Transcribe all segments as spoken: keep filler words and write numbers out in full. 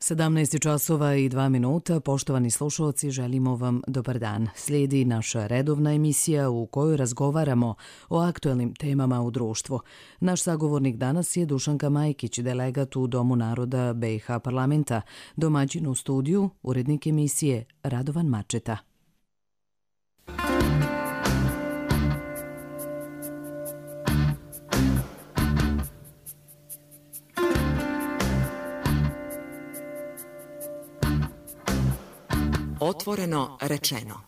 sedamnaest časova i dva minuta, poštovani slušalci, želimo vam dobar dan. Slijedi naša redovna emisija u kojoj razgovaramo o aktuelnim temama u društvu. Naš sagovornik danas je Dušanka Majkić, delegat u Domu naroda B i H parlamenta, domaćin u studiju, urednik emisije Radovan Mačeta. Otvoreno rečeno.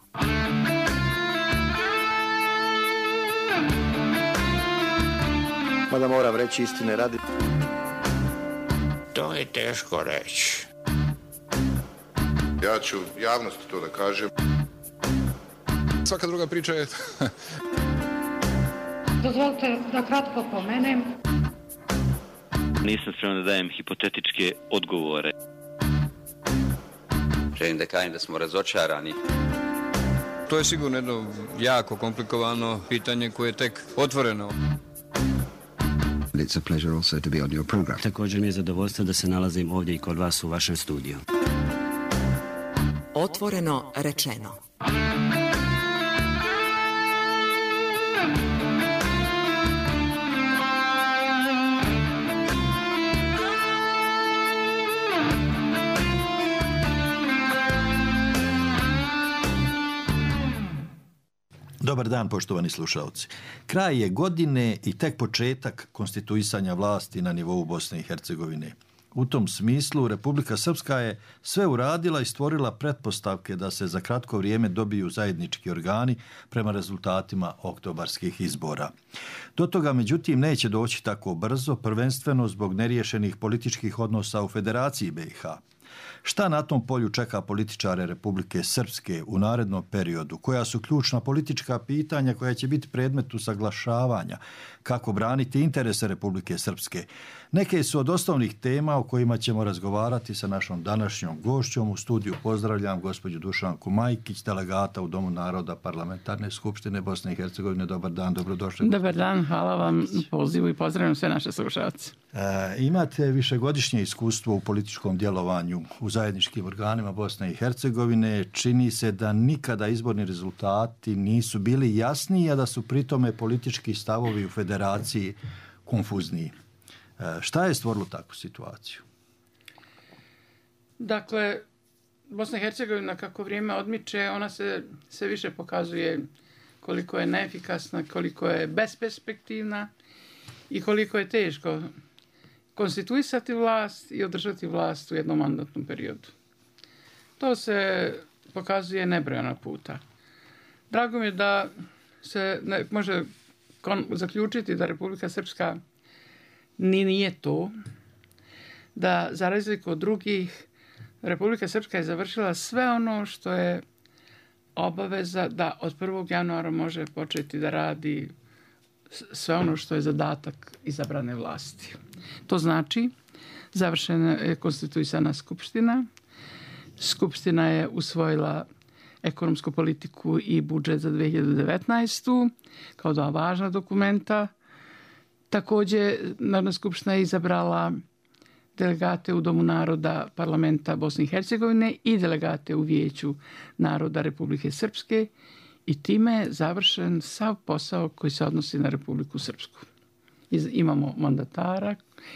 Mada moram reći istine radi. To je teško reći. Ja ću javnosti to da kažem. Svaka druga priča je... Dozvolite da kratko pomenem. Nisam spreman da dajem hipotetičke odgovore. Želim da kažem da smo razočarani. To je sigurno jedno jako komplikovano pitanje koje je tek otvoreno. It's a pleasure also to be on your program. Također mi je zadovoljstvo da se nalazim ovdje i kod vas u vašem studiju. Otvoreno rečeno. Dobar dan, poštovani slušalci. Kraj je godine i tek početak konstituisanja vlasti na nivou Bosne i Hercegovine. U tom smislu Republika Srpska je sve uradila i stvorila pretpostavke da se za kratko vrijeme dobiju zajednički organi prema rezultatima oktobarskih izbora. Do toga, međutim, neće doći tako brzo, prvenstveno zbog neriješenih političkih odnosa u Federaciji B i H. Šta na tom polju čeka političare Republike Srpske u narednom periodu? Koja su ključna politička pitanja koja će biti predmet usaglašavanja? Kako braniti interese Republike Srpske? Neke su od osnovnih tema o kojima ćemo razgovarati sa našom današnjom gošćom. U studiju pozdravljam gospođu Dušanku Majkić, delegata u Domu naroda Parlamentarne skupštine Bosne i Hercegovine. Dobar dan, dobrodošli. Dobar dan, hvala vam na pozivu i pozdravljam sve naše slušalce. E, imate višegodišnje iskustvo u političkom djelovanju u zajedničkim organima Bosne i Hercegovine. Čini se da nikada izborni rezultati nisu bili jasniji, a da su pritome politički stavovi u federaciji konfuzniji. E, šta je stvorilo takvu situaciju? Dakle, Bosna i Hercegovina kako vrijeme odmiče, ona se sve više pokazuje koliko je neefikasna, koliko je besperspektivna i koliko je teško konstituisati vlast i održati vlast u jednom mandatnom periodu. To se pokazuje nebrojeno puta. Drago mi je da se ne, može kon, zaključiti da Republika Srpska ni nije to, da za razliku od drugih Republika Srpska je završila sve ono što je obaveza da od prvog januara može početi da radi sve ono što je zadatak izabrane vlasti. To znači završena je konstituisana skupština. Skupština je usvojila ekonomsku politiku i budžet za dve hiljade devetnaestu kao dva važna dokumenta. Također Narodna skupština je izabrala delegate u Domu naroda Parlamenta Bosne i Hercegovine i delegate u Vijeću naroda Republike Srpske i time je završen sav posao koji se odnosi na Republiku Srpsku. Iz, imamo mandatara,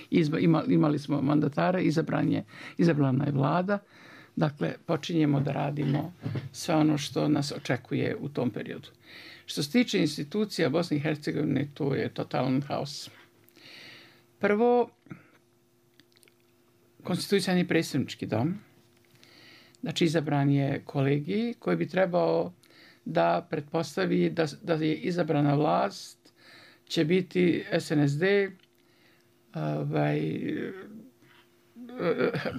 izba, ima, imali smo mandatara, izabran je, izabrana je vlada, dakle počinjemo da radimo sve ono što nas očekuje u tom periodu. Što se tiče institucija Bosne i Hercegovine, to je totalan haos. Prvo, konstituisan je predstavnički dom, znači izabran je kolegij koji bi trebao da pretpostavi da, da je izabrana vlast će biti S N S D, ovaj,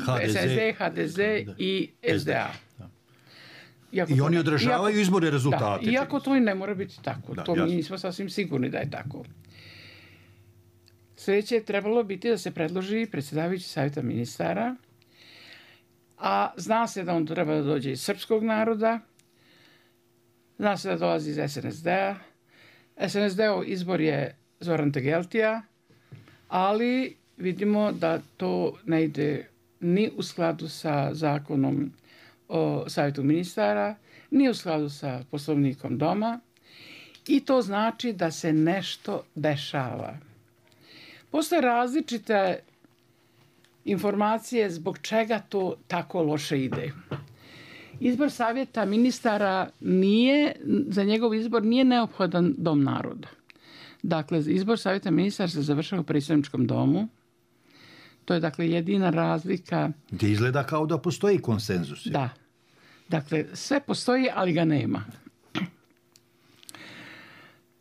H D Z, S N S D, H D Z i S D A. Iako I oni ne, održavaju iako, izborne rezultate. Da, iako to i ne mora biti tako. Da, to jasno. Mi nismo sasvim sigurni da je tako. Sljedeće je trebalo biti da se predloži predsjedavajući savjeta ministara, a zna se da on treba da dođe iz srpskog naroda, zna se da dolazi iz S N S D-a. S N S D-ov izbor je Zoran Tegeltija, ali vidimo da to ne ide ni u skladu sa zakonom o savjetu ministara, ni u skladu sa poslovnikom doma i to znači da se nešto dešava. Postoje različite informacije zbog čega to tako loše ide. Izbor savjeta ministara nije, za njegov izbor nije neophodan dom naroda. Dakle, izbor savjeta ministara se završava u predsjedničkom domu. To je dakle jedina razlika. Gdje izgleda kao da postoji konsenzus. Da. Dakle, sve postoji, ali ga nema.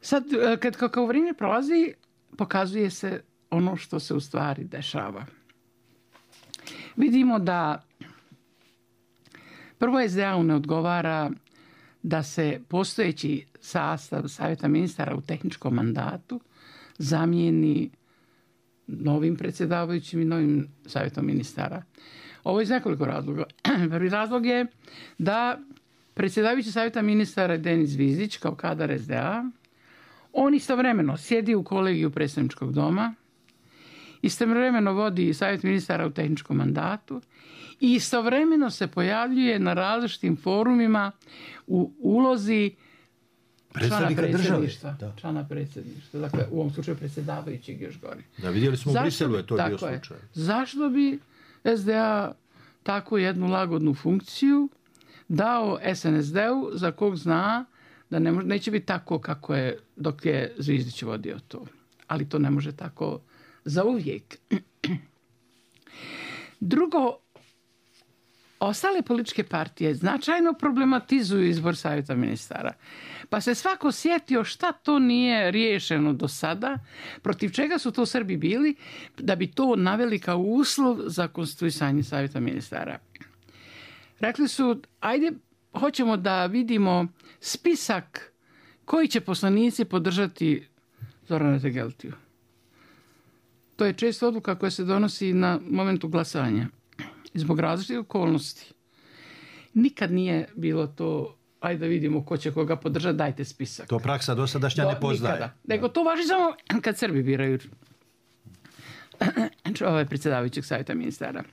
Sad, kad kako vrijeme prolazi, pokazuje se ono što se u stvari dešava. Vidimo da prvo es de a-u ne odgovara da se postojeći sastav savjeta ministara u tehničkom mandatu zamijeni novim predsjedavajućim i novim savjetom ministara. Ovo je iz nekoliko razloga. Prvi razlog je da predsjedavajući savjeta ministara Denis Zvizdić kao kadar es de a, on istovremeno sjedi u kolegiju predsjedničkog doma, istovremeno vodi savjet ministara u tehničkom mandatu i istovremeno se pojavljuje na različitim forumima u ulozi člana predsjedništva. Člana predsjedništva. Dakle, u ovom slučaju predsjedavajućeg još gori. Da, vidjeli smo u Briselu je to bio slučaj. Je, zašto bi es de a tako jednu lagodnu funkciju dao es en es de-u za kog zna da ne može, neće biti tako kako je dok je Zvizdić vodio to. Ali to ne može tako za uvijek. Drugo, ostale političke partije značajno problematizuju izbor savjeta ministara. Pa se svako sjetio šta to nije riješeno do sada, protiv čega su to Srbi bili, da bi to naveli kao uslov za konstituisanje savjeta ministara. Rekli su, ajde, hoćemo da vidimo spisak koji će poslanici podržati Zorana Tegeltiju. To je često odluka koja se donosi na momentu glasanja. Zbog različitih okolnosti. Nikad nije bilo to, ajde da vidimo ko će koga podržati, dajte spisak. To praksa dosadašnja ne poznaje. Nikada. Nego to važi samo kad Srbi biraju ovaj predsjedavajućeg savjeta ministara.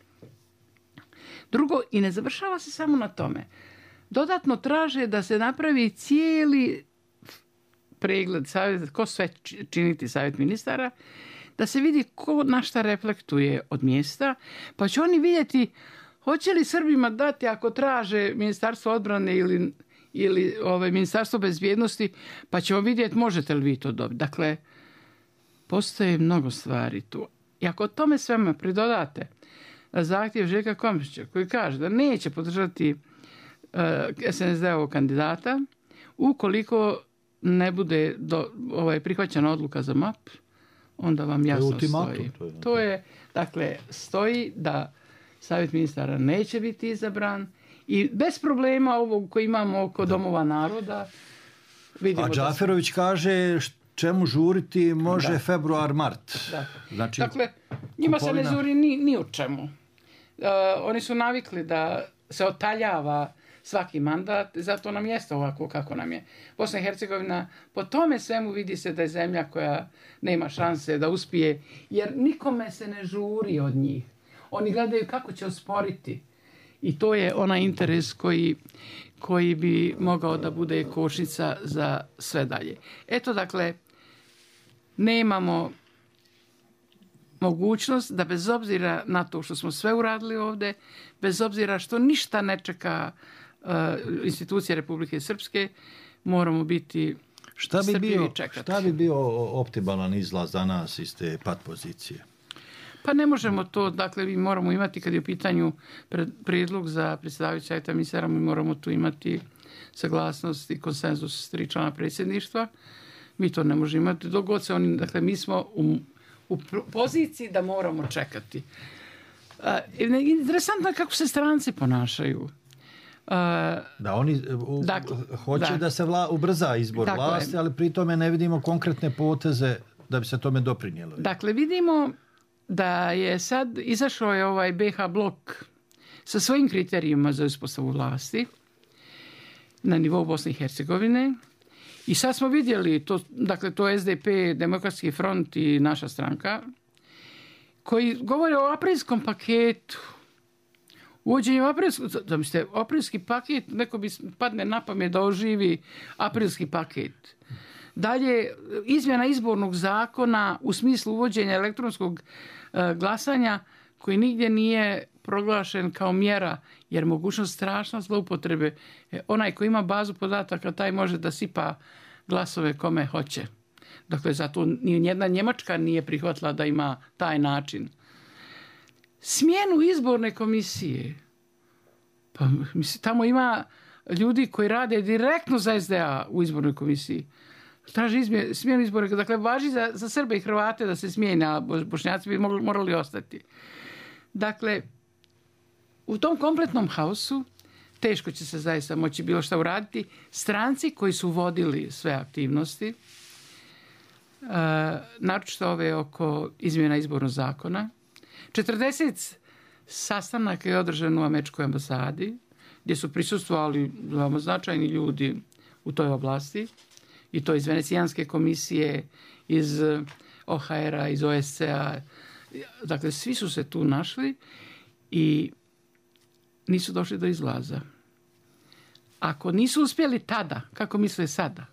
Drugo, i ne završava se samo na tome. Dodatno traže da se napravi cijeli pregled savjeta, ko sve činiti savjet ministara, da se vidi ko na šta reflektuje od mjesta, pa će oni vidjeti hoće li Srbima dati ako traže Ministarstvo odbrane ili, ili ovaj, Ministarstvo bezbjednosti, pa ćemo vidjeti možete li vi to dobiti. Dakle, postoje mnogo stvari tu. I ako tome svema pridodate zahtjev Željka Komšića koji kaže da neće podržati uh, es en es de-ovog kandidata ukoliko ne bude do, ovaj, prihvaćena odluka za M A P, onda vam jasno to stoji. To je, to je, dakle, stoji da savjet ministara neće biti izabran i bez problema ovog koji imamo oko da. Domova naroda. Vidimo. A Džaferović da se... kaže čemu žuriti može da. februar, mart. Da. Znači, dakle, njima kupovina... se ne žuri ni, ni u čemu. Uh, oni su navikli da se otaljava svaki mandat, zato nam jeste ovako kako nam je. Bosna i Hercegovina, po tome svemu vidi se da je zemlja koja nema šanse da uspije, jer nikome se ne žuri od njih. Oni gledaju kako će osporiti. I to je onaj interes koji, koji bi mogao da bude kočnica za sve dalje. Eto, dakle, nemamo mogućnost da bez obzira na to što smo sve uradili ovdje, bez obzira što ništa ne čeka uh, institucije Republike Srpske, moramo biti šta bi bio, šta bi bio optimalan izlaz za nas iz te pat pozicije? Pa ne možemo to, dakle, mi moramo imati, kad je u pitanju prijedlog za predsjedavajući savjeta ministara, mi moramo tu imati saglasnost i konsenzus tri člana predsjedništva. Mi to ne možemo imati. Dok god se oni, dakle, mi smo u, u poziciji da moramo čekati. Uh, interesantno je kako se stranci ponašaju. Uh, da, oni u, dakle, hoće da, da se vla, ubrza izbor vlasti, je. Ali pri tome ne vidimo konkretne poteze da bi se tome doprinijelo. Dakle, vidimo da je sad izašao je ovaj be ha blok sa svojim kriterijima za uspostavu vlasti na nivou Bosne i Hercegovine. I sad smo vidjeli, to, dakle, to es de pe, Demokratski front i naša stranka, koji govore o aprilskom paketu Uvođenjem aprilskog, zamislite, aprilski paket, neko bi padne na pamet da oživi aprilski paket. Dalje, izmjena izbornog zakona u smislu uvođenja elektronskog e, glasanja koji nigdje nije proglašen kao mjera, jer mogućnost strašna zloupotrebe. E, onaj koji ima bazu podataka, taj može da sipa glasove kome hoće. Dakle, zato ni jedna Njemačka nije prihvatila da ima taj način. Smjenu izborne komisije. Pa, mislim, tamo ima ljudi koji rade direktno za S D A u izbornoj komisiji. Traži izmje, smjenu izborne. Dakle, važi za, za Srbe i Hrvate da se smijene, a Bošnjaci bi mogli, morali ostati. Dakle, u tom kompletnom haosu teško će se zaista moći bilo šta uraditi. Stranci koji su vodili sve aktivnosti, uh, naročito ove oko izmjena izbornog zakona, četrdeset sastanaka je održano u američkoj ambasadi, gdje su prisustvovali veoma značajni ljudi u toj oblasti, i to iz Venecijanske komisije, iz O H R-a, iz O S C A. Dakle, svi su se tu našli i nisu došli do izlaza. Ako nisu uspjeli tada, kako misle sada,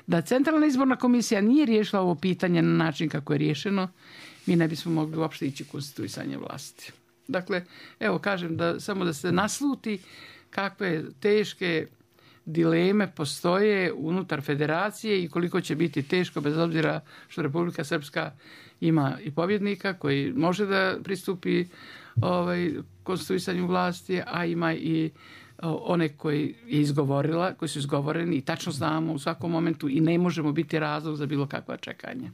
da Centralna izborna komisija nije riješila ovo pitanje na način kako je riješeno, mi ne bismo mogli uopšte ići konstituisanje vlasti. Dakle, evo kažem da samo da se nasluti kakve teške dileme postoje unutar federacije i koliko će biti teško, bez obzira što Republika Srpska ima i pobjednika koji može da pristupi ovaj, konstituisanju vlasti, a ima i one koji je izgovorila, koji su izgovoreni i tačno znamo u svakom momentu i ne možemo biti razlog za bilo kakva čekanja.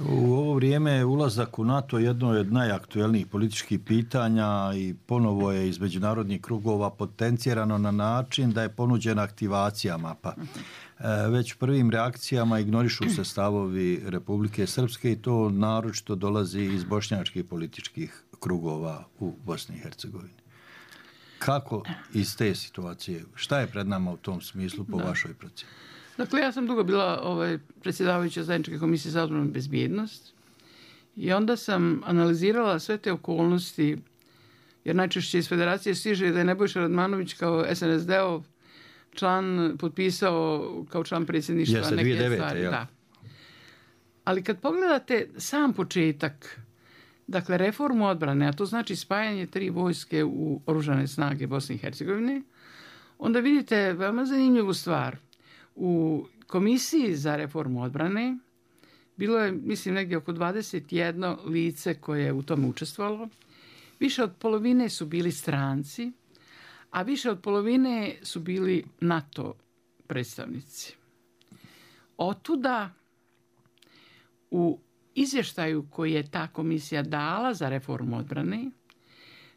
U ovo vrijeme ulazak u NATO je jedno od najaktuelnijih političkih pitanja i ponovo je iz međunarodnih krugova potencirano na način da je ponuđena aktivacija mapa. Već prvim reakcijama ignorišu se stavovi Republike Srpske i to naročito dolazi iz bošnjačkih političkih krugova u Bosni i Hercegovini. Kako iz te situacije, šta je pred nama u tom smislu po da. vašoj procjeni? Dakle, ja sam dugo bila ovaj, predsjedavajuća zajedničke komisije za odbranu i bezbjednost i onda sam analizirala sve te okolnosti, jer najčešće iz federacije stiže da je Nebojša Radmanović kao S N S D-ov član potpisao kao član predsjedništva Jeste, neke dvije hiljade devete, stvari. Ja. Da. Ali kad pogledate sam početak, dakle, reformu odbrane, a to znači spajanje tri vojske u oružane snage Bosne i Hercegovine, onda vidite veoma zanimljivu stvar. U komisiji za reformu odbrane bilo je, mislim, negdje oko dvadeset jedno lice koje je u tome učestvovalo. Više od polovine su bili stranci, a više od polovine su bili NATO predstavnici. Otuda u izvještaju koji je ta komisija dala za reformu odbrane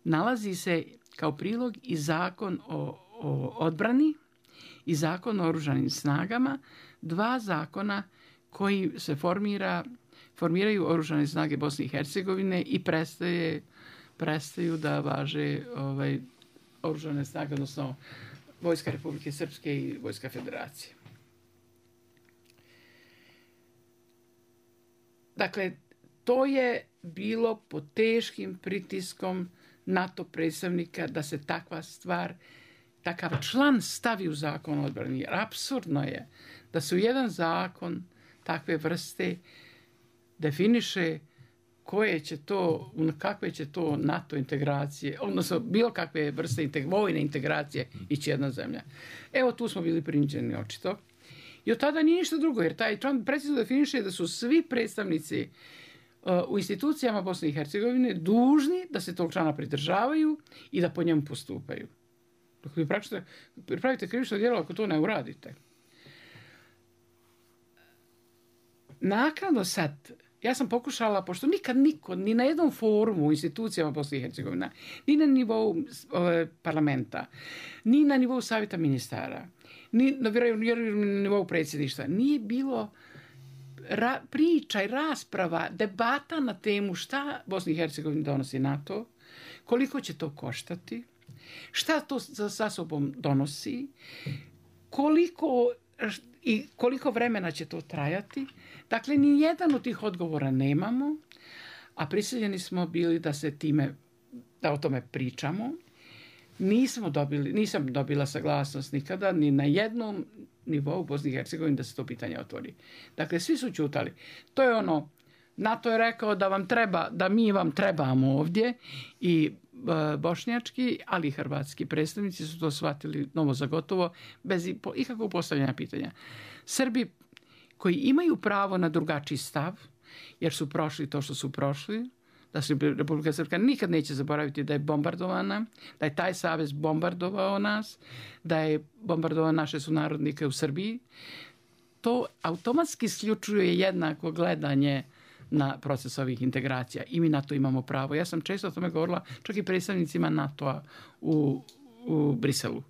nalazi se kao prilog i zakon o, o odbrani i zakon o oružanim snagama, dva zakona koji se formira, formiraju oružane snage Bosne i Hercegovine i prestaje, prestaju da važe ovaj, oružane snage, odnosno Vojska Republike Srpske i Vojska Federacije. Dakle, to je bilo pod teškim pritiskom NATO predstavnika da se takva stvar, takav član stavi u zakon o odbrani. Jer apsurdno je da se u jedan zakon takve vrste definiše koje će to, kakve će to NATO integracije, odnosno bilo kakve vrste integ- vojne integracije ići jedna zemlja. Evo tu smo bili prinuđeni očito. I od tada nije ništa drugo, jer taj član precizno definiše da su svi predstavnici uh, u institucijama Bosne i Hercegovine dužni da se tog člana pridržavaju i da po njemu postupaju. Dok vi pravite krivično djelo ako to ne uradite. Naknadno sad, ja sam pokušala, pošto nikad niko, ni na jednom forumu u institucijama Bosne i Hercegovine, ni na nivou e, parlamenta, ni na nivou savjeta ministara, ni na, na nivou predsjedništva, nije bilo ra, priča i rasprava, debata na temu šta Bosni i Hercegovini donosi NATO, koliko će to koštati, šta to sa sobom donosi, koliko i koliko vremena će to trajati. Dakle, ni jedan od tih odgovora nemamo, a prisiljeni smo bili da se time da o tome pričamo. Nismo dobili, nisam dobila saglasnost nikada ni na jednom nivou u Bosni i Hercegovini da se to pitanje otvori. Dakle, svi su ćutali. To je ono, NATO je rekao da vam treba, da mi vam trebamo ovdje i e, bošnjački, ali i hrvatski predstavnici su to shvatili novo za gotovo, bez ikakvog postavljanja pitanja. Srbi koji imaju pravo na drugačiji stav, jer su prošli to što su prošli, da se Republika Srpska nikad neće zaboraviti da je bombardovana, da je taj savez bombardovao nas, da je bombardovao naše sunarodnike u Srbiji. To automatski isključuje jednako gledanje na proces ovih integracija i mi na to imamo pravo. Ja sam često o tome govorila čak i predstavnicima NATO-a u, u Briselu.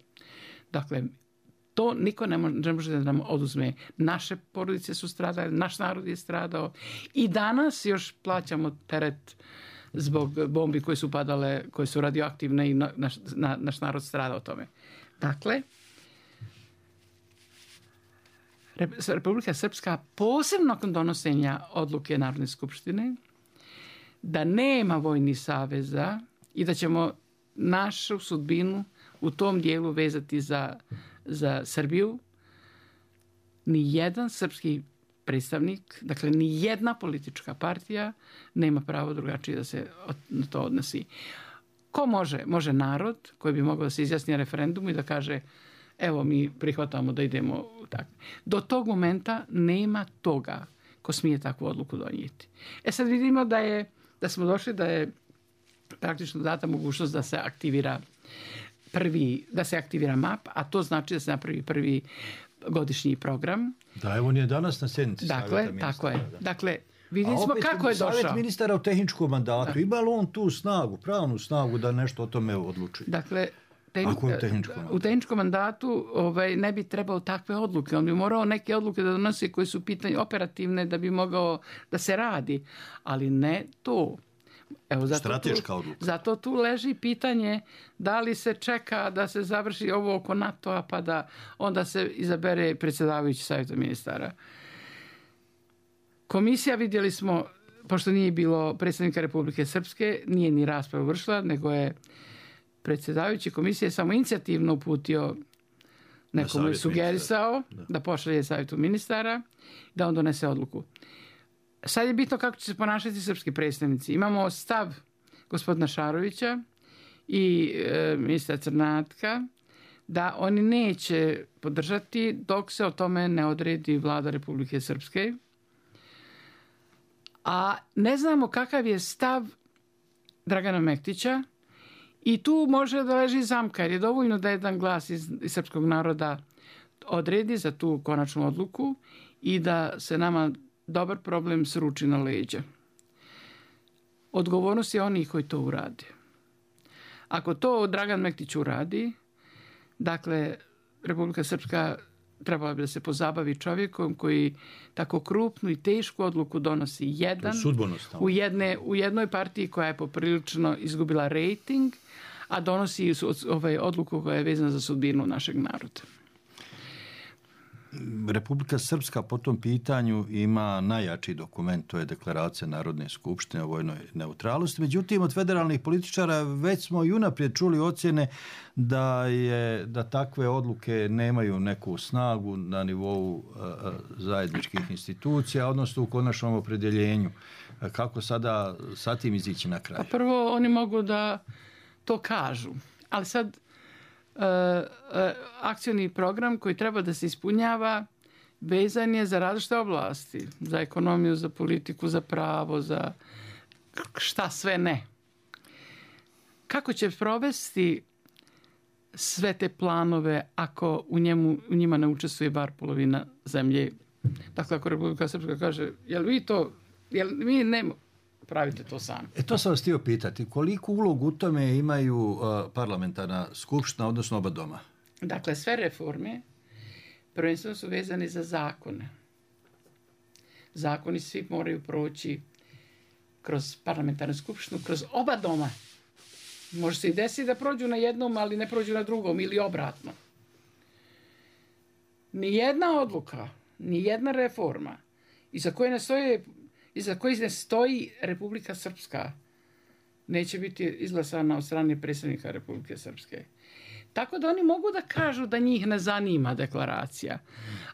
Dakle, to niko ne može, ne može da nam oduzme. Naše porodice su stradale, naš narod je stradao i danas još plaćamo teret zbog bombi koje su padale, koje su radioaktivne i naš, na, naš narod stradao tome. Dakle, Republika Srpska posebno nakon donosenja odluke Narodne skupštine da nema vojnih saveza i da ćemo našu sudbinu u tom dijelu vezati za, za Srbiju, ni jedan srpski predstavnik, dakle ni jedna politička partija nema pravo drugačije da se na to odnosi. Ko može? Može narod koji bi mogao da se izjasni na referendumu i da kaže evo mi prihvatamo da idemo tako. Do tog momenta nema toga ko smije takvu odluku donijeti. E sad vidimo da je, da smo došli da je praktično data mogućnost da se aktivira prvi, da se aktivira M A P, a to znači da se napravi prvi godišnji program. Da, evo on je danas na sjednici dakle, savjeta ministara. Tako je. Da. Dakle, vidjeli smo kako je došao. Savjet ministara u tehničkom mandatu. Da. Ima li on tu snagu, pravnu snagu da nešto o tome odluči? Dakle, Tehn... Ako je u tehničkom mandatu? U tehničkom mandatu ovaj, ne bi trebao takve odluke. On bi morao neke odluke da donosi koje su pitanje operativne da bi mogao da se radi. Ali ne to. Evo, zato strateška tu, odluka. Zato tu leži pitanje da li se čeka da se završi ovo oko NATO-a pa da onda se izabere predsjedavajući savjeta ministara. Komisija, vidjeli smo, pošto nije bilo predsjednika Republike Srpske, nije ni raspravu vršila, nego je predsjedavajući komisije samo inicijativno uputio nekomu je sugerisao da. da pošalje savjetu ministara, da on donese odluku. Sad je bitno kako će se ponašati srpski predstavnici. Imamo stav gospodina Šarovića i e, ministra Crnatka da oni neće podržati dok se o tome ne odredi vlada Republike Srpske. A ne znamo kakav je stav Dragana Mektića i tu može da leži zamka, jer je dovoljno da jedan glas iz, iz srpskog naroda odredi za tu konačnu odluku i da se nama dobar problem sruči na leđa. Odgovornost je onih koji to urade. Ako to Dragan Mektić uradi, dakle, Republika Srpska trebala bi da se pozabavi čovjekom koji tako krupnu i tešku odluku donosi jedan u, jedne, u jednoj partiji koja je poprilično izgubila rejting, a donosi ovaj odluku koja je vezana za sudbinu našeg naroda. Republika Srpska po tom pitanju ima najjači dokument, to je deklaracija Narodne skupštine o vojnoj neutralnosti. Međutim, od federalnih političara već smo i unaprijed čuli ocjene da, je, da takve odluke nemaju neku snagu na nivou uh, zajedničkih institucija, odnosno u konačnom opredjeljenju. Kako sada sa tim izići na kraj? Pa prvo, oni mogu da to kažu, ali sad Uh, uh, akcioni program koji treba da se ispunjava vezan je za različite oblasti, za ekonomiju, za politiku, za pravo, za šta sve ne. Kako će provesti sve te planove ako u, njemu, u njima ne učestvuje bar polovina zemlje? Dakle, ako Republika Srpska kaže, jel vi to, jel mi ne pravite to sami. E to sam vas htio pitati. Koliku ulogu u tome imaju uh, parlamentarna skupština, odnosno oba doma? Dakle, sve reforme prvenstveno su vezane za zakone. Zakoni svi moraju proći kroz parlamentarnu skupštinu, kroz oba doma. Može se i desiti da prođu na jednom, ali ne prođu na drugom ili obratno. Nijedna odluka, nijedna reforma iza koje ne stoje iza koji ne stoji Republika Srpska neće biti izglasana od strane predsjednika Republike Srpske. Tako da oni mogu da kažu da njih ne zanima deklaracija.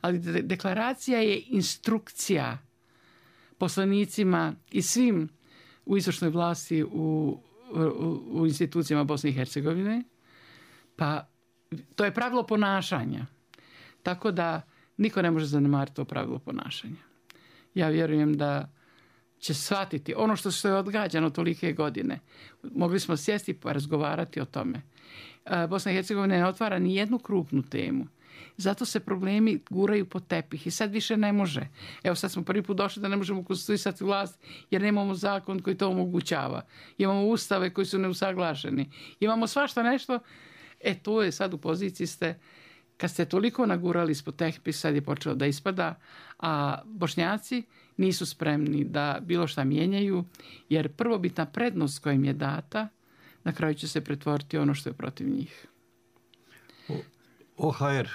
Ali de- deklaracija je instrukcija poslanicima i svim u izvršnoj vlasti u, u, u institucijama Bosne i Hercegovine. Pa to je pravilo ponašanja. Tako da niko ne može zanemariti to pravilo ponašanja. Ja vjerujem da će shvatiti ono što se je odgađano tolike godine. Mogli smo sjesti pa razgovarati o tome. Bosna i Hercegovina ne otvara ni jednu krupnu temu. Zato se problemi guraju po tepih i sad više ne može. Evo sad smo prvi put došli da ne možemo konstituisati vlast jer nemamo zakon koji to omogućava. Imamo ustave koji su neusaglašeni. Imamo svašta nešto. E to je sad u poziciji ste, kad ste toliko nagurali ispod tepih, sad je počelo da ispada, a Bošnjaci nisu spremni da bilo šta mijenjaju, jer prvobitna prednost koja im je data na kraju će se pretvoriti ono što je protiv njih. O H R,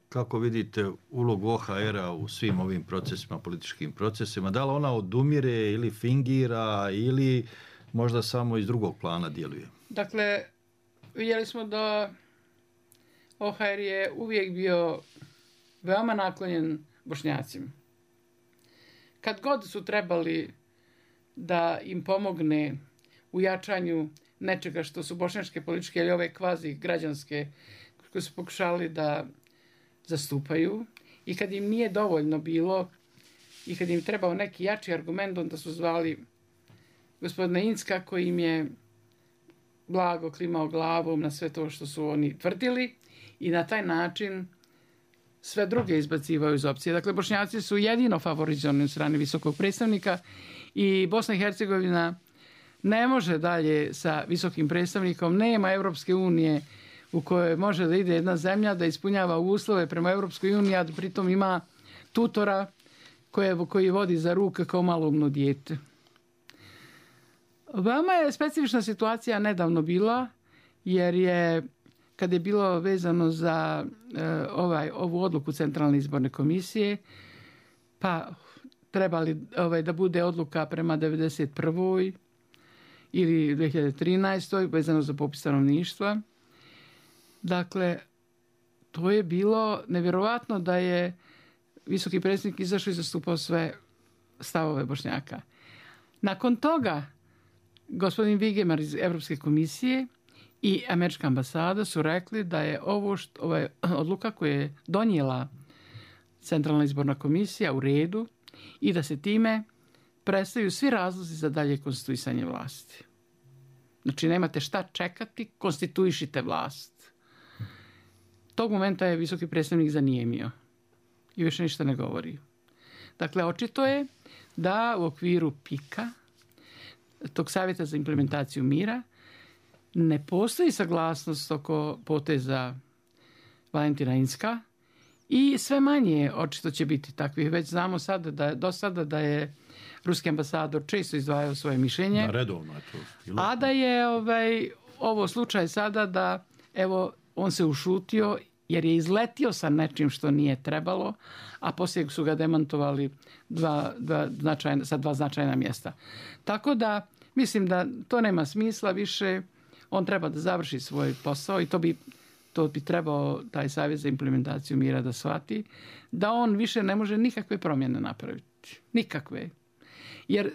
kako vidite ulogu O H R-a u svim ovim procesima, političkim procesima, da li ona odumire ili fingira ili možda samo iz drugog plana djeluje? Dakle, vidjeli smo da O H R je uvijek bio veoma naklonjen Bošnjacima. Kad god su trebali da im pomogne u jačanju nečega što su bošnjačke političke ili ove kvazi građanske koje su pokušali da zastupaju i kad im nije dovoljno bilo i kad im trebao neki jači argument, onda su zvali gospodina Incka koji im je blago klimao glavom na sve to što su oni tvrdili i na taj način sve druge izbacivaju iz opcije. Dakle, Bošnjaci su jedino favorizovani od strane visokog predstavnika i Bosna i Hercegovina ne može dalje sa visokim predstavnikom, nema Europske unije u kojoj može da ide jedna zemlja da ispunjava uslove prema Europskoj uniji, a pritom ima tutora koje, koji vodi za ruke kao maloumno dijete. Veoma je specifična situacija nedavno bila, jer je, kad je bilo vezano za e, ovaj, ovu odluku Centralne izborne komisije, pa trebali ovaj, da bude odluka prema devedeset prvoj ili dvije hiljade trinaestoj vezano za popis stanovništva. Dakle, to je bilo nevjerovatno da je visoki predsjednik izašao i zastupao sve stavove Bošnjaka. Nakon toga, gospodin Vigemar iz Evropske komisije i američka ambasada su rekli da je ovo što, ova odluka koju je donijela Centralna izborna komisija u redu i da se time prestaju svi razlozi za dalje konstituisanje vlasti. Znači, nemate šta čekati, konstituišite vlast. Tog momenta je visoki predstavnik zanijemio i više ništa ne govori. Dakle, očito je da u okviru pika, tog savjeta za implementaciju mira, ne postoji saglasnost oko poteza Valentina Incka i sve manje očito će biti takvih. Već znamo sada da, do sada da je ruski ambasador često izdvajao svoje mišljenje. Da, redovno je to. A da je ovaj, ovo slučaj sada da evo, on se ušutio jer je izletio sa nečim što nije trebalo, a poslije su ga demantovali dva, dva značajna, sa dva značajna mjesta. Tako da mislim da to nema smisla više. On treba da završi svoj posao i to bi, to bi trebao taj savjet za implementaciju mira da shvati, da on više ne može nikakve promjene napraviti. Nikakve. Jer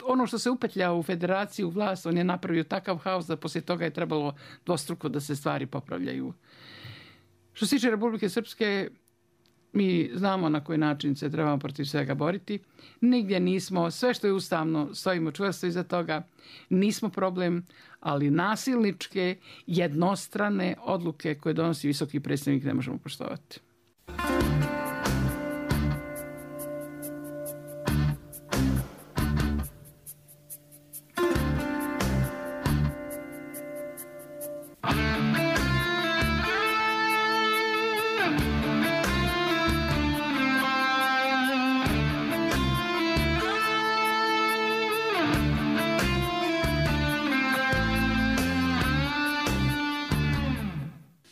ono što se upetlja u federaciju, u vlast, on je napravio takav haos da poslije toga je trebalo dvostruko da se stvari popravljaju. Što se tiče Republike Srpske, mi znamo na koji način se trebamo protiv svega boriti. Nigdje nismo, sve što je ustavno, stojimo čvrsto iza toga, nismo problem, ali nasilničke, jednostrane odluke koje donosi visoki predstavnik ne možemo poštovati.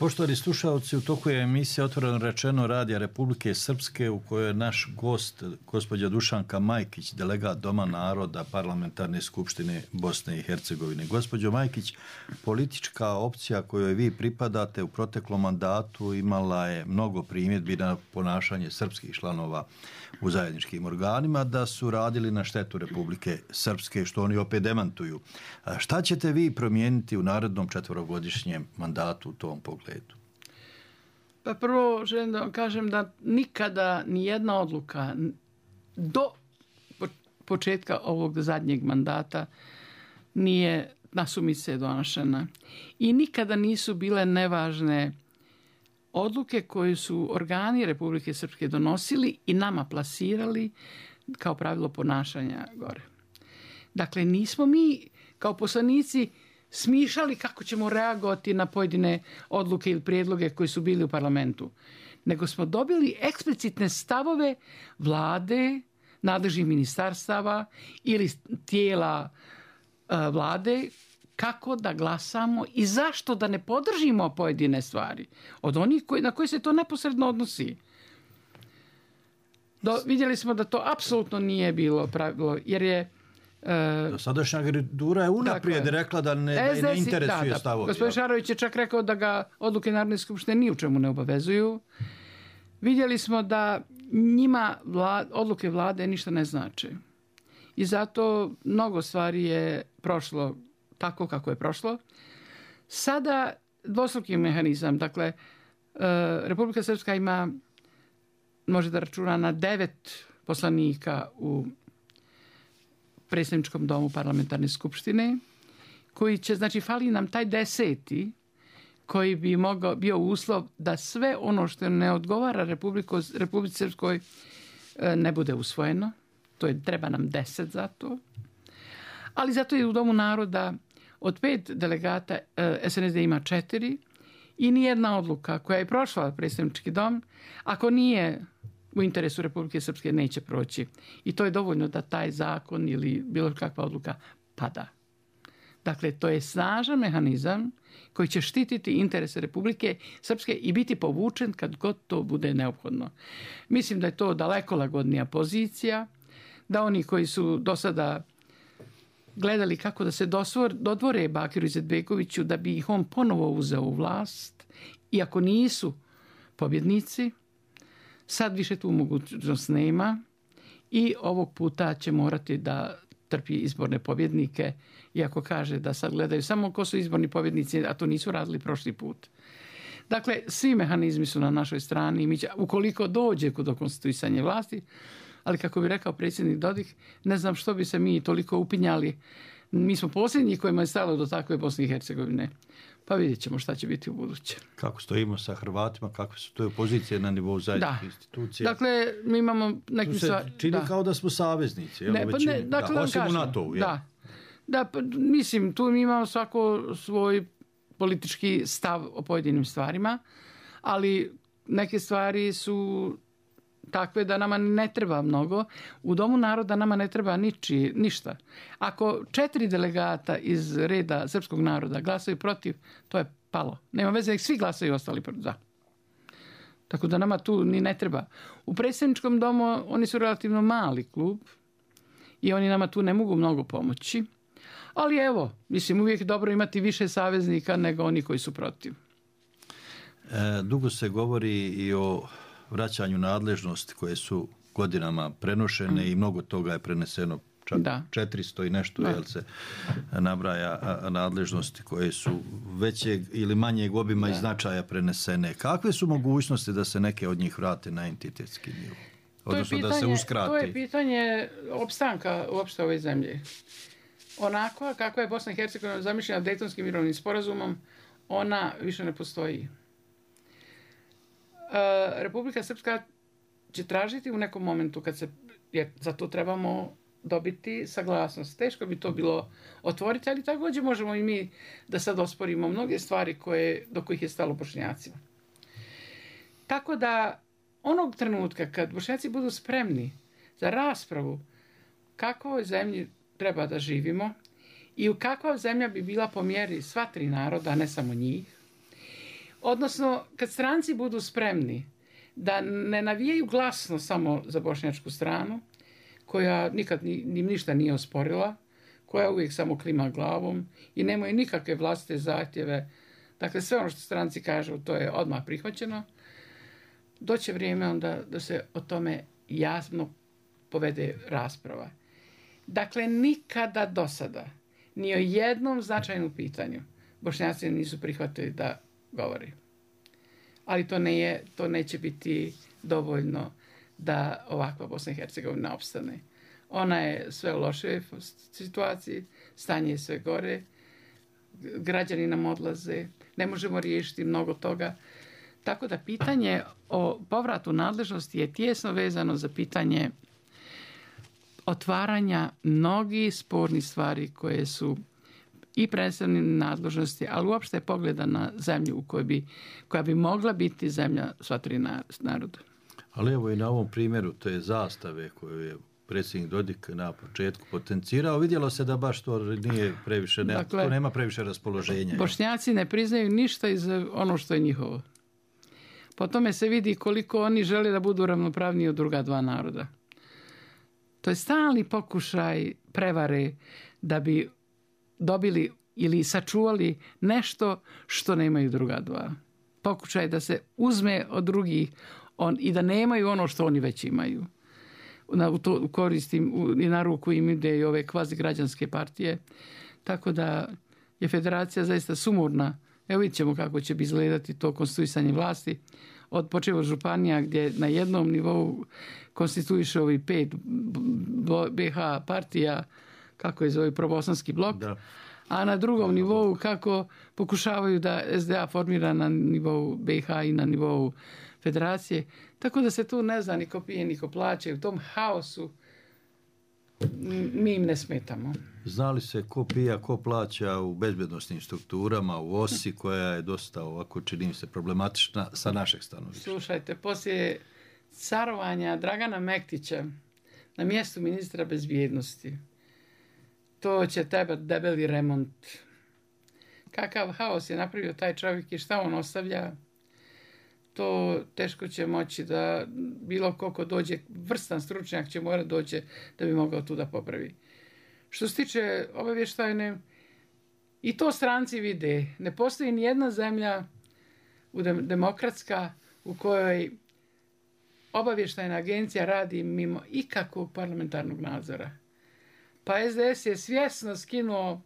Poštovani slušalci, u toku je emisija Otvoreno rečeno Radija Republike Srpske u kojoj je naš gost, gospođa Dušanka Majkić, delegat Doma naroda Parlamentarne skupštine Bosne i Hercegovine. Gospođo Majkić, politička opcija kojoj vi pripadate u proteklom mandatu imala je mnogo primjedbi na ponašanje srpskih članova u zajedničkim organima, da su radili na štetu Republike Srpske, što oni opet demantuju. Šta ćete vi promijeniti u narednom četvorogodišnjem mandatu u tom pogledu? Pa prvo želim da vam kažem da nikada ni jedna odluka do početka ovog zadnjeg mandata nije nasumice donošena. I nikada nisu bile nevažne odluke koje su organi Republike Srpske donosili i nama plasirali kao pravilo ponašanja gore. Dakle, nismo mi kao poslanici smišljali kako ćemo reagovati na pojedine odluke ili prijedloge koji su bili u parlamentu, nego smo dobili eksplicitne stavove vlade, nadležnih ministarstava ili tijela vlade kako da glasamo i zašto da ne podržimo pojedine stvari od onih koji, na koje se to neposredno odnosi. Do, vidjeli smo da to apsolutno nije bilo pravilo, jer je Uh, Sadašnja garnitura je unaprijed dakle, rekla da ne, da ne interesuje da, da, stavovi. Gospodin Šarović je čak rekao da ga odluke Narodne skupštine ni u čemu ne obavezuju. Vidjeli smo da njima vlad, odluke vlade ništa ne znače. I zato mnogo stvari je prošlo tako kako je prošlo. Sada dvostruki mehanizam. Dakle, uh, Republika Srpska ima, može da računa na devet poslanika u predsjedničkom domu parlamentarne skupštine, koji će, znači, fali nam taj deseti, koji bi mogao, bio uslov da sve ono što ne odgovara Republiko, Republici Srpskoj ne bude usvojeno. To je, treba nam deset za to. Ali zato je u Domu naroda od pet delegata S N S D ima četiri i nijedna odluka koja je prošla predsjednički dom, ako nije u interesu Republike Srpske, neće proći. I to je dovoljno da taj zakon ili bilo kakva odluka pada. Dakle, to je snažan mehanizam koji će štititi interese Republike Srpske i biti povučen kad god to bude neophodno. Mislim da je to daleko lagodnija pozicija, da oni koji su do sada gledali kako da se dosvor, dodvore Bakiru Izetbegoviću da bi ih on ponovo uzeo u vlast, iako nisu pobjednici, sad više tu mogućnost nema i ovog puta će morati da trpi izborne pobjednike, iako kaže da sad gledaju samo ko su izborni pobjednici, a to nisu radili prošli put. Dakle, svi mehanizmi su na našoj strani, mi će, ukoliko dođe do konstituisanja vlasti, ali kako bi rekao predsjednik Dodik, ne znam što bi se mi toliko upinjali. Mi smo posljednji kojima je stalo do takve Bosne i Hercegovine. Pa vidjet ćemo šta će biti u buduće. Kako stojimo sa Hrvatima, kakve su to pozicije na nivou zajedničkih institucija? Dakle, mi imamo nekim... Tu se stvar... čini da. Kao da smo saveznici. Ne, pa ne, dakle, da, osim u NATO-u. Da, da pa, mislim, tu mi imamo svako svoj politički stav o pojedinim stvarima, ali neke stvari su takve da nama ne treba mnogo. U Domu naroda nama ne treba niči, ništa. Ako četiri delegata iz reda srpskog naroda glasaju protiv, to je palo. Nema veze, svi glasaju ostali za. Tako da nama tu ni ne treba. U predsjedničkom domu oni su relativno mali klub i oni nama tu ne mogu mnogo pomoći. Ali evo, mislim, uvijek je dobro imati više saveznika nego oni koji su protiv. E, dugo se govori i o vraćanju nadležnosti koje su godinama prenošene mm. i mnogo toga je preneseno, čak da. četiristo i nešto, jel se nabraja nadležnosti koje su većeg ili manjeg obima da. i značaja prenesene. Kakve su mogućnosti da se neke od njih vrate na entitetski nivo? Odnosno pitanje, da se uskrati? To je pitanje opstanka uopšte ove zemlje. Onako kako je Bosna i Hercegovina zamišljena Dejtonskim mirovnim sporazumom, ona više ne postoji. Republika Srpska će tražiti u nekom momentu kad se, jer za to trebamo dobiti saglasnost. Teško bi to bilo otvoriti, ali također možemo i mi da sad osporimo mnoge stvari koje, do kojih je stalo Bošnjacima. Tako da onog trenutka kad Bošnjaci budu spremni za raspravu kakvoj zemlji treba da živimo i u kakva zemlja bi bila po mjeri sva tri naroda, a ne samo njih, Odnosno, kad stranci budu spremni da ne navijaju glasno samo za bošnjačku stranu, koja nikad ni, ni ništa nije osporila, koja uvijek samo klima glavom i nemaju nikakve vlastite zahtjeve. Dakle, sve ono što stranci kažu, to je odmah prihvaćeno. Doće vrijeme onda da se o tome jasno povede rasprava. Dakle, nikada do sada, ni o jednom značajnom pitanju, Bošnjaci nisu prihvatili da govori. Ali to, ne je, to neće biti dovoljno da ovakva Bosna i Hercegovina opstane. Ona je sve u lošoj situaciji, stanje je sve gore, građani nam odlaze, ne možemo riješiti mnogo toga. Tako da pitanje o povratu nadležnosti je tijesno vezano za pitanje otvaranja mnogih spornih stvari koje su i predstavljene nadležnosti, ali uopšte pogleda na zemlju u kojoj bi, koja bi mogla biti zemlja sva tri naroda. Ali evo i na ovom primjeru, to je zastave koju je predsjednik Dodik na početku potencirao, vidjelo se da baš to nije previše, ne, dakle, to nema previše raspoloženja. Bošnjaci ne priznaju ništa iz ono što je njihovo. Po tome se vidi koliko oni žele da budu ravnopravniji od druga dva naroda. To je stalni pokušaj prevare da bi dobili ili sačuvali nešto što nemaju druga dva. Pokušaj da se uzme od drugih on, i da nemaju ono što oni već imaju. Na, u to koristim i na ruku im ide i ove kvazi građanske partije. Tako da je federacija zaista sumorna. Evo vidjet ćemo kako će bi izgledati to konstituisanje vlasti. Od počevo županija gdje na jednom nivou konstituiše ovi pet be ha partija, kako je zove probosanski blok, da. A na drugom nivou kako pokušavaju da es de a formira na nivou be ha i na nivou federacije. Tako da se tu ne zna ni ko pije, ni ko plaće. U tom haosu mi im ne smetamo. Znali se ko pija, ko plaća u bezbjednostnim strukturama, u osi koja je dosta ovako, čini mi se, problematična sa našeg stanovišta. Slušajte, poslije carovanja Dragana Mektića na mjestu ministra bezbjednosti, to će tebe debeli remont. Kakav haos je napravio taj čovjek i šta on ostavlja, to teško će moći da bilo koliko dođe, vrstan stručnjak će mora doći da bi mogao tu da popravi. Što se tiče obavještajne, i to stranci vide. Ne postoji ni jedna zemlja demokratska u kojoj obavještajna agencija radi mimo ikakvog parlamentarnog nadzora. Pa es de es je svjesno skinuo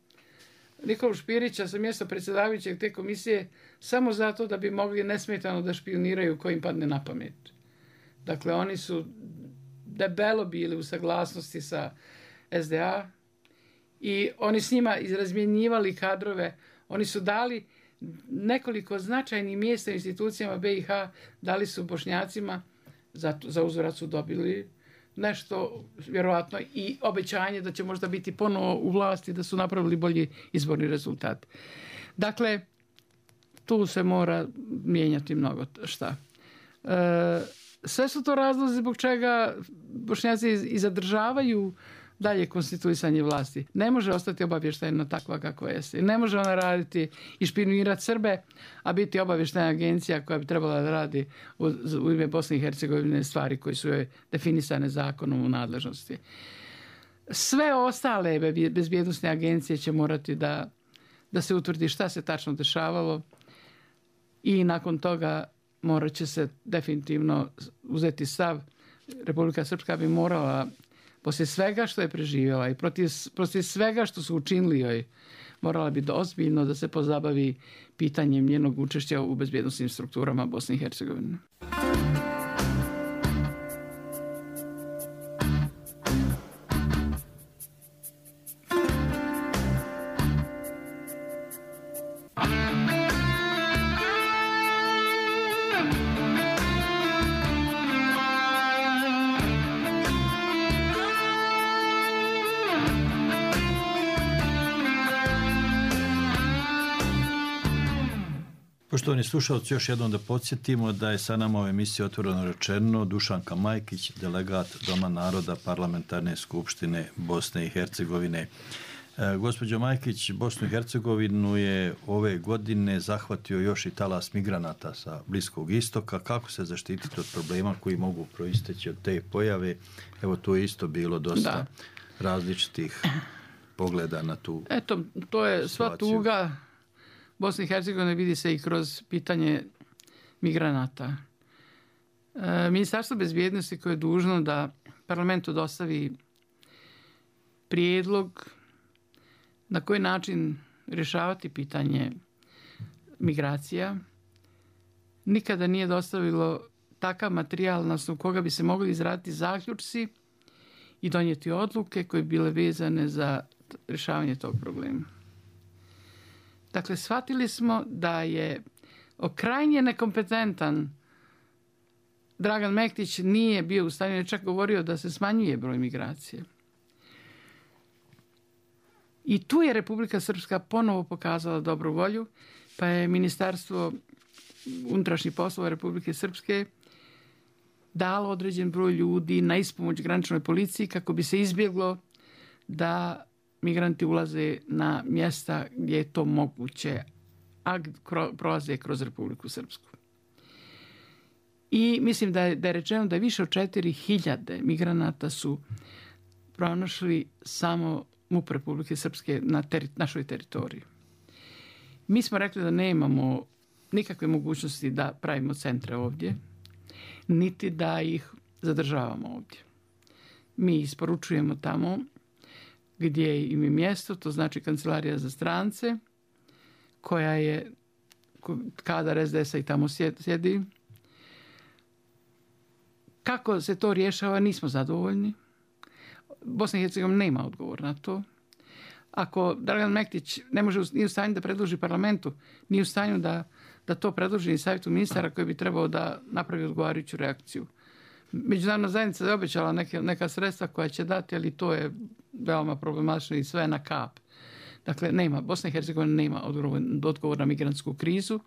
Nikolu Špirića sa mjesta predsjedavajućeg te komisije samo zato da bi mogli nesmetano da špioniraju ko im padne na pamet. Dakle, oni su debelo bili u saglasnosti sa es de a i oni s njima izrazmjenjivali kadrove. Oni su dali nekoliko značajnih mjesta institucijama be i ha, dali su Bošnjacima, za, za uzvrat su dobili nešto, vjerovatno, i obećanje da će možda biti ponovo u vlasti, da su napravili bolji izborni rezultat. Dakle, tu se mora mijenjati mnogo šta. E, sve su to razlozi zbog čega Bošnjaci i zadržavaju dalje konstituisanje vlasti. Ne može ostati obavještajna takva kako jeste. Ne može ona raditi i špionirati Srbe, a biti obavještajna agencija koja bi trebala da radi u, u ime Bosne i Hercegovine stvari koje su joj definisane zakonom u nadležnosti. Sve ostale bezbjednosne agencije će morati da, da se utvrdi šta se tačno dešavalo i nakon toga morat će se definitivno uzeti stav. Republika Srpska bi morala poslije svega što je preživjela i protiv, protiv svega što su učinili joj, morala bi ozbiljno da se pozabavi pitanjem njenog učešća u bezbjednosnim strukturama Bosne i Hercegovine. Poštovani slušalci, još jednom da podsjetimo da je sa nama u emisiji Otvoreno rečeno Dušanka Majkić, delegat Doma naroda Parlamentarne skupštine Bosne i Hercegovine. E, gospođo Majkić, Bosnu i Hercegovinu je ove godine zahvatio još i talas migranata sa Bliskog istoka. Kako se zaštititi od problema koji mogu proisteći od te pojave? Evo, tu je isto bilo dosta da. različitih pogleda na tu Eto, to je sva situaciju. tuga Bosne i Hercegovine, vidi se i kroz pitanje migranata. E, Ministarstvo bezbjednosti koje je dužno da parlamentu dostavi prijedlog na koji način rješavati pitanje migracija, nikada nije dostavilo takav materijal na osnovu koga bi se mogli izraditi zaključci i donijeti odluke koje bi bile vezane za rješavanje tog problema. Dakle, shvatili smo da je krajnje nekompetentan Dragan Mektić, nije bio u stanju, je čak govorio da se smanjuje broj migracije. I tu je Republika Srpska ponovo pokazala dobru volju, pa je Ministarstvo unutrašnjih poslova Republike Srpske dalo određen broj ljudi na ispomoć graničnoj policiji kako bi se izbjeglo da migranti ulaze na mjesta gdje je to moguće, a prolaze kroz Republiku Srpsku. I mislim da je, da je rečeno da je više od četiri hiljade migranata su pronašli samo M U P Republike Srpske na teri, našoj teritoriji. Mi smo rekli da nemamo nikakve mogućnosti da pravimo centre ovdje, niti da ih zadržavamo ovdje. Mi isporučujemo tamo gdje im je mjesto, to znači Kancelarija za strance, koja je kadar es de esa i tamo sjedi. Kako se to rješava, nismo zadovoljni. Bosna i Hercegovina nema odgovor na to. Ako Dragan Mektić ne može, nije u stanju da predloži parlamentu, nije u stanju da, da to predloži i savjetu ministara koji bi trebao da napravi odgovarajuću reakciju. Međunarodna zajednica je obećala neke, neka sredstva koja će dati, ali to je veoma problematično i sve na kap. Dakle, nema, Bosna i Hercegovina nema odgovor, odgovor na migrantsku krizu.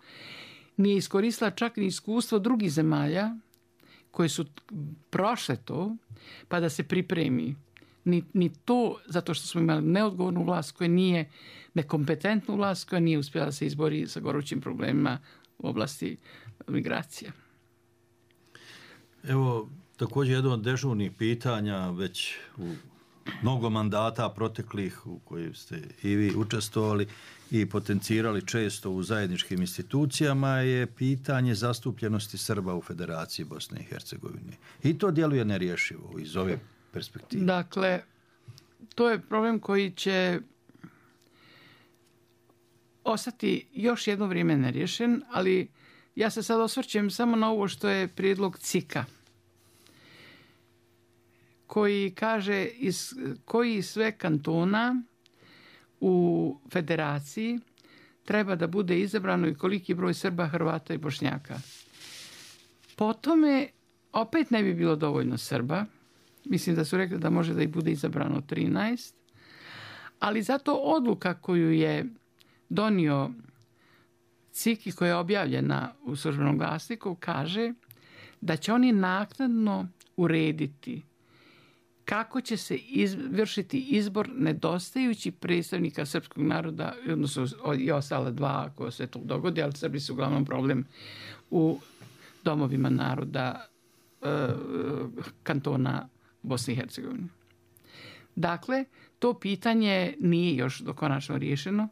Nije iskoristila čak ni iskustvo drugih zemalja koje su prošle to, pa da se pripremi. Ni, ni to, zato što smo imali neodgovornu vlast koja nije, nekompetentnu vlast koja nije uspjela da se izbori sa gorućim problemima u oblasti migracije. Evo, također jedno od dežurnih pitanja već u mnogo mandata proteklih u kojim ste i vi učestvovali i potencirali često u zajedničkim institucijama je pitanje zastupljenosti Srba u Federaciji Bosne i Hercegovine. I to djeluje nerješivo iz ove perspektive. Dakle, to je problem koji će ostati još jedno vrijeme nerješen, ali ja se sad osvrćem samo na ovo što je prijedlog C I K-a, koji kaže iz koji sve kantona u federaciji treba da bude izabrano i koliki broj Srba, Hrvata i Bošnjaka. Po tome opet ne bi bilo dovoljno Srba. Mislim da su rekli da može da ih bude izabrano trinaest. Ali zato odluka koju je donio C I K i koja je objavljena u službenom glasniku kaže da će oni naknadno urediti kako će se izvršiti izbor nedostajućih predstavnika srpskog naroda, odnosno i ostala dva ako se to dogodi, ali Srbi su uglavnom problem u domovima naroda e, kantona Bosne i Hercegovine. Dakle, to pitanje nije još dokonačno riješeno,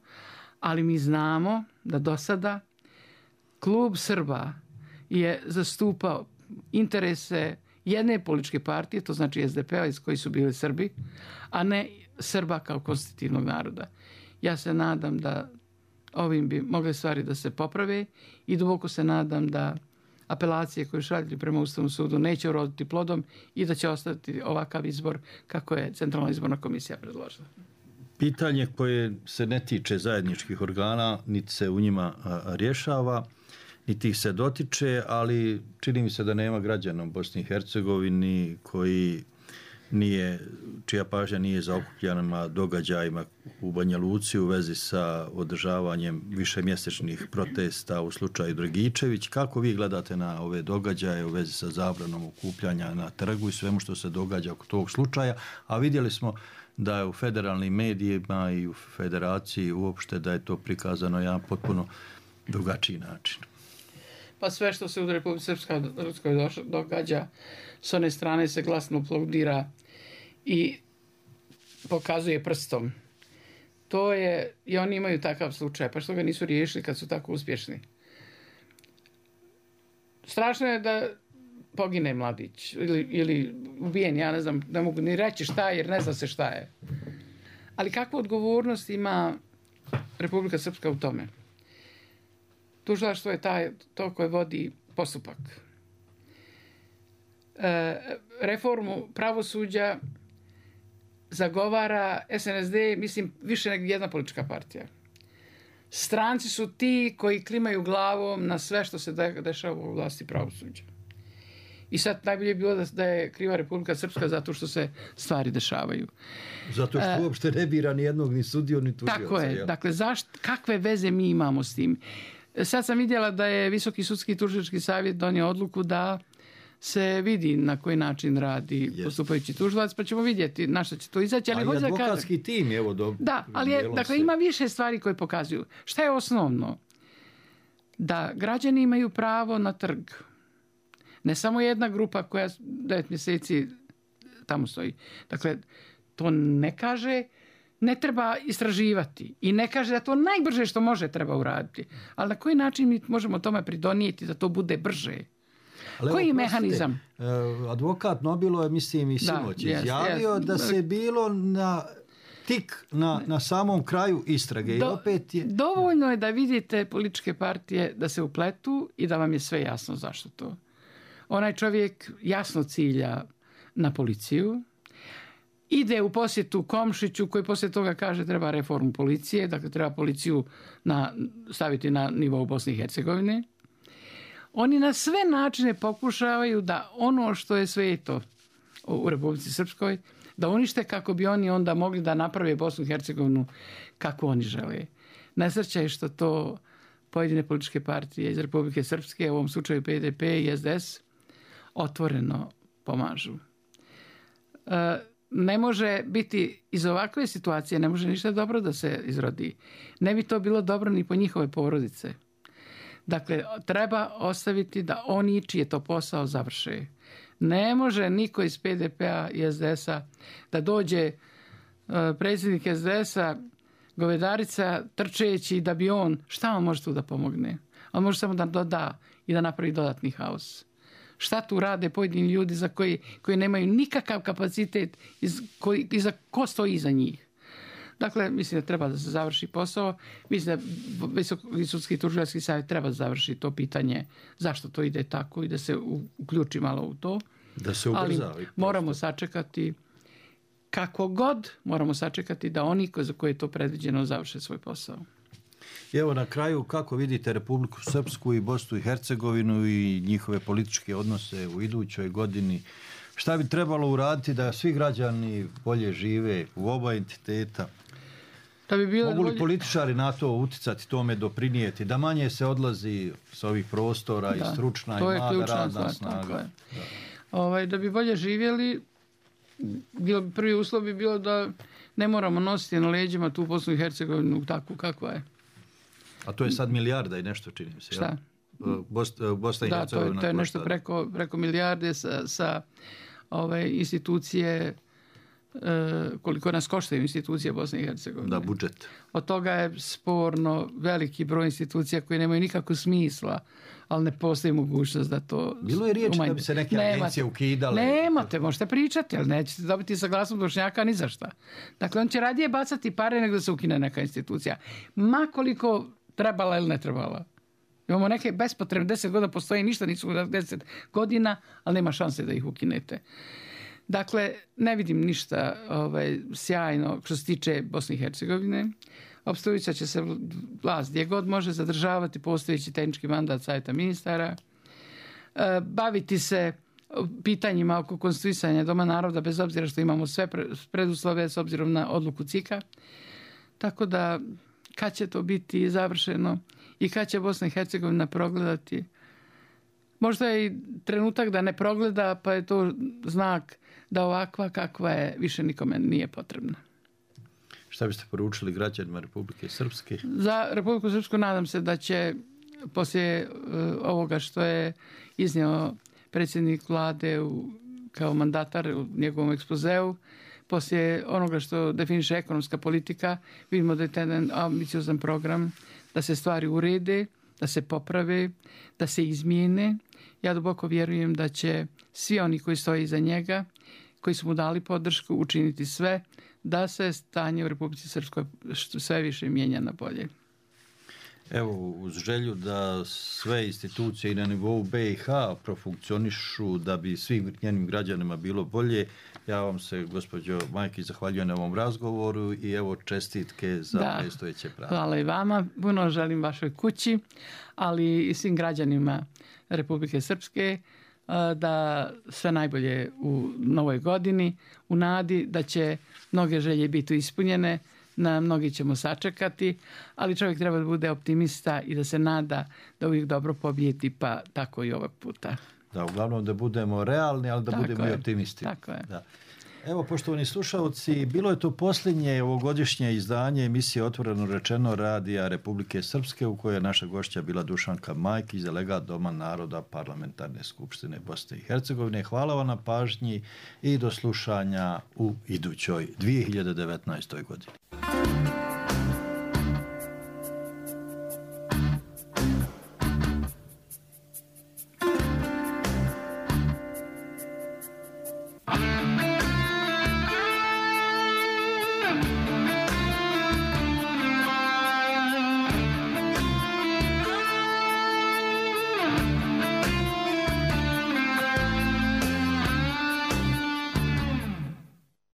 ali mi znamo da do sada klub Srba je zastupao interese jedne političke partije, to znači es de pe-a iz koji su bili Srbi, a ne Srba kao konstitutivnog naroda. Ja se nadam da ovim bi mogle stvari da se poprave i duboko se nadam da apelacije koje šalju prema Ustavnom sudu neće uroditi plodom i da će ostati ovakav izbor kako je Centralna izborna komisija predložila. Pitanje koje se ne tiče zajedničkih organa, niti se u njima rješava, niti ih se dotiče, ali čini mi se da nema građana u Bosni i Hercegovini koji nije, čija pažnja nije zaokupljena događajima u Banja Luci u vezi sa održavanjem višemjesečnih protesta u slučaju Dragičević. Kako vi gledate na ove događaje u vezi sa zabranom okupljanja na trgu i svemu što se događa oko tog slučaja? A vidjeli smo da je u federalnim medijima i u federaciji uopšte da je to prikazano jedan potpuno drugačiji način. Pa sve što se u Republici Srpskoj događa s one strane se glasno aplaudira i pokazuje prstom. To je, i oni imaju takav slučaj, pa što ga nisu riješili kad su tako uspješni. Strašno je da pogine mladić ili, ili ubijen, ja ne znam, ne mogu ni reći šta je, jer ne zna se šta je. Ali kakvu odgovornost ima Republika Srpska u tome? Tužilaštvo je taj, to koje vodi postupak. E, reformu pravosuđa zagovara S N S D, mislim, više nego jedna politička partija. Stranci su ti koji klimaju glavom na sve što se dešava u vlasti pravosuđa. I sad najbolje je bilo da, da je kriva Republika Srpska zato što se stvari dešavaju. Zato što uopšte ne bira ni jednog ni sudiju ni tužioca. Tako je. Jel? Dakle, zašt, kakve veze mi imamo s tim? Sad sam vidjela da je Visoki sudski tužilački savjet donio odluku da se vidi na koji način radi yes. postupajući tužilac, pa ćemo vidjeti na što će to izaći. Ali a i advokatski tim, evo do... Da, ali je, dakle, ima više stvari koje pokazuju. Šta je osnovno? Da građani imaju pravo na trg. Ne samo jedna grupa koja devet mjeseci tamo stoji. Dakle, to ne kaže ne treba istraživati i ne kaže da to najbrže što može treba uraditi. Ali na koji način mi možemo tome pridonijeti da to bude brže? Ali koji je mehanizam? Advokat Nobilo je, mislim, i sinoć da, izjavio yes, yes. da se bilo na tik na, na samom kraju istrage. Do, I opet je... Dovoljno je da vidite političke partije da se upletu i da vam je sve jasno zašto to. Onaj čovjek jasno cilja na policiju, ide u posjetu Komšiću koji poslije toga kaže treba reformu policije, dakle treba policiju na, staviti na nivou Bosne i Hercegovine. Oni na sve načine pokušavaju da ono što je sveto u Republici Srpskoj, da unište kako bi oni onda mogli da naprave Bosnu i Hercegovinu kako oni žele. Nesreća je što to pojedine političke partije iz Republike Srpske, u ovom slučaju P D P i S D S, otvoreno pomažu. E, ne može biti iz ovakve situacije, ne može ništa dobro da se izrodi. Ne bi to bilo dobro ni po njihove porodice. Dakle, treba ostaviti da oni čiji je to posao završe. Ne može niko iz P D P-a i S D S-a da dođe uh, predsjednik S D S-a, Govedarica, trčeći da bi on, šta on može tu da pomogne? On može samo da doda i da napravi dodatni haos. Šta tu rade pojedini ljudi za koji, koji nemaju nikakav kapacitet iz, koji, iza, ko stoji iza njih? Dakle, mislim da treba da se završi posao. Mislim da Visoki sudski tužilački savjet treba da završi to pitanje zašto to ide tako i da se uključi malo u to. Da se ubrza. Ali moramo sačekati kako god, moramo sačekati da oni za koje je to predviđeno završe svoj posao. Evo na kraju, kako vidite Republiku Srpsku i Bosnu i Hercegovinu i njihove političke odnose u idućoj godini? Šta bi trebalo uraditi da svi građani bolje žive u oba entiteta? Da bi bilo Mogu li bolje... političari na to uticati, tome doprinijeti, da manje se odlazi s ovih prostora da, i stručna i mlada radna snaga? Da. Ovaj, da bi bolje živjeli, bilo, prvi uslov bi bilo da ne moramo nositi na leđima tu Bosnu i Hercegovinu takvu kakva je. A to je sad milijarda i nešto, čini mi se. Šta? Bosna, Bosna i da, Hercegovina. Da, to je, to je nešto preko, preko milijarde sa, sa ove institucije, e, koliko nas koštaju institucije Bosne i Hercegovine. Da, budžet. Od toga je sporno veliki broj institucija koje nemaju nikakvog smisla, ali ne postoji mogućnost da to... Bilo je riječi da bi se neke nemate, agencije ukidale. Nemate, možete pričati, ali nećete dobiti saglasnost Bošnjaka ni za šta. Dakle, on će radije bacati pare nego da se ukine neka institucija. Ma koliko trebala ili ne trebala. Imamo neke bespotrebne, deset godina postoji, ništa nisu deset godina, ali nema šanse da ih ukinete. Dakle, ne vidim ništa ovaj, sjajno što se tiče Bosne i Hercegovine. Opstojića će se vlast gdje god može zadržavati postojeći tehnički mandat savjeta ministara, e, baviti se pitanjima oko konstituisanja Doma naroda, bez obzira što imamo sve preduslove s obzirom na odluku C I K-a. Tako da, kad će to biti završeno i kad će Bosna i Hercegovina progledati, možda je i trenutak da ne progleda, pa je to znak da ovakva kakva je više nikome nije potrebna. Šta biste poručili građanima Republike Srpske? Za Republiku Srpsku nadam se da će poslije uh, ovoga što je iznio predsjednik vlade u, kao mandatar u njegovom ekspozeu, poslije onoga što definiše ekonomska politika, vidimo da je jedan ambiciozan program da se stvari urede, da se poprave, da se izmijene. Ja duboko vjerujem da će svi oni koji stoje iza njega, koji su mu dali podršku, učiniti sve da se stanje u Republici Srpskoj sve više mijenja na bolje. Evo, uz želju da sve institucije i na nivou B i H profunkcionišu da bi svim njenim građanima bilo bolje, ja vam se, gospođo Majki, zahvaljujem na ovom razgovoru i evo čestitke za da, predstojeće pravo. Hvala i vama. Puno želim vašoj kući, ali i svim građanima Republike Srpske da sve najbolje u novoj godini, u nadi da će mnoge želje biti ispunjene, na mnogi ćemo sačekati, ali čovjek treba da bude optimista i da se nada da uvijek dobro pobijeti, pa tako i ovog puta. Da, uglavnom da budemo realni, ali da tako budemo je, i optimisti. Tako je. Da. Evo, poštovani slušalci, bilo je to posljednje ovogodišnje izdanje emisije Otvoreno rečeno radija Republike Srpske, u kojoj je naša gošća bila Dušanka Majkić, delegat Doma naroda Parlamentarne skupštine Bosne i Hercegovine. Hvala vam na pažnji i do slušanja u idućoj dvije hiljade devetnaestoj godini.